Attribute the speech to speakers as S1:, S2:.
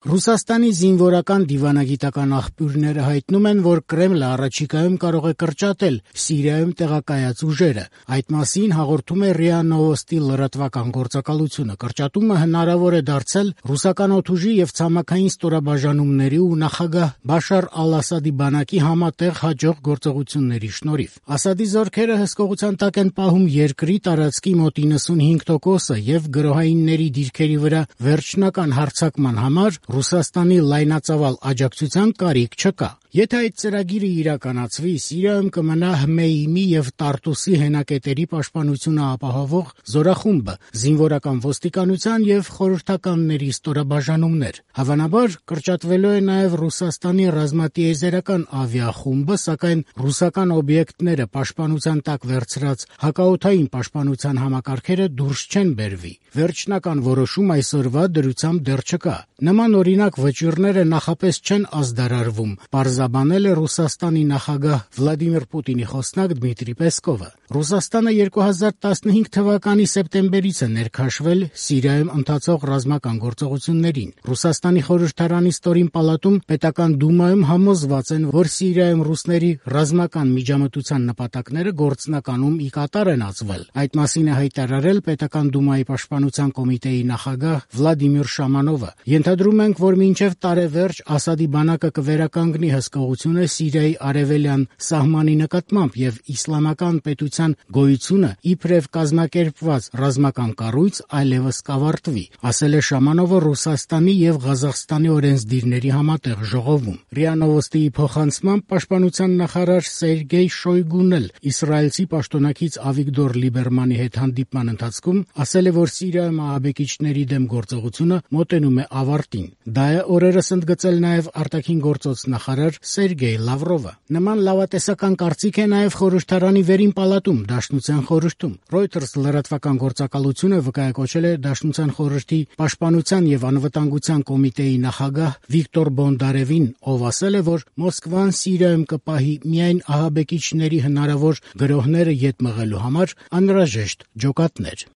S1: Ռուսաստանի զինվորական դիվանագիտական աղբյուրները հայտնում են, որ Կրեմլը առաջիկայում կարող է կրճատել Սիրիայում տեղակայած ուժերը։ Այդ մասին հաղորդում է ՌԻԱ Նովոստի լրատվական գործակալությունը։ Կրճատումը հնարավոր է դարձել ռուսական օդուժի եւ ցամաքային ստորաբաժանումների ու նախագահ Բաշար Ալ-Ասադի բանակի համատեղ հաջող գործողությունների շնորհիվ։ Ասադի զորքերը հսկողության տակ են պահում երկրի տարածքի մոտ 95%-ը եւ գրոհայինների դիրքերի վրա վերջնական հարձակման համար Ռուսաստանի լայնածավալ աջակցության կարիք չկա։ Եթե այդ ծրագիրը իրականացվի, Սիրիայում կմնա Հմեյմի եւ Տարտուսի հենակետերի պաշտպանությունը ապահովող զորախումբը, զինվորական ոստիկանության եւ խորհրդականների ստորաբաժանումներ։ Հավանաբար կրճատվելու է նաեւ Ռուսաստանի ռազմատիեզերական ավիախումբը, սակայն ռուսական օբյեկտները պաշտպանության տակ վերցրած հակաօդային պաշտպանության համակարգերը դուրս չեն բերվի։ Վերջնական որոշում այսօրվա դրությամբ դեռ չկա։ Նման օրինակ վճիռները նախապես չեն ազդարարվում, պարզաբանել է Ռուսաստանի նախագահ Վլադիմիր Պուտինի խոսնակ Դմիտրի Պեսկովը։ Ռուսաստանը 2015 թվականի սեպտեմբերից է ներքաշվել Սիրիայում ընթացող ռազմական գործողություններին։ Ռուսաստանի խորհրդարանի ստորին պալատում պետական դումայում համոզված են, որ Սիրիայում ռուսների ռազմական միջամտության նպատակները գործնականում ի կատար են ածվել։ Այդ մասին է հայտարարել պետական դումայի պաշտպանության կոմիտեի նախագահ Վլադիմիր Շամանովը։ Ենթադրում ենք, որ մինչև տարեվերջ Ասադի բանակը կվերականգնի հսկողությունը Սիրիայի արևելյան սահմանի նկատմամբ եւ իսլամական պետության գոյությունը իբրև կազմակերպված ռազմական կառույց այլևս կավարտվի, ասել է Շամանովը Ռուսաստանի եւ Ղազախստանի օրենսդիրների համատեղ ժողովում։ ՌԻԱ Նովոստիի փոխանցմամբ պաշտպանության նախարար Սերգեյ Շոյգուն էլ իսրայելցի պաշտոնակից Ավիգդոր Լիբերմանի հետ հանդիպման ընթացքում ասել է, որ Սիրիայում ահաբեկիչների դեմ գործողությունը մոտենում է ավարտին։ Դա է օրերս ընդգծել նաև արտաքին գործոց նախարար Սերգեյ Լավրովը։ Նման լավատեսական կարծիք է նաև խորհրդարանի վերին պալատում, Դաշնության խորհրդում։ Reuters լրատվական գործակալությունը վկայակոչել է Դաշնության խորհրդի պաշտպանության եւ անվտանգության կոմիտեի նախագահ Վիկտոր Բոնդարևին, ով ասել է, որ Մոսկվան Սիրիայում կպահի միայն ահաբեկիչների հնարավոր գրոհները ետ մղելու համար անհրաժեշտ ջոկատներ։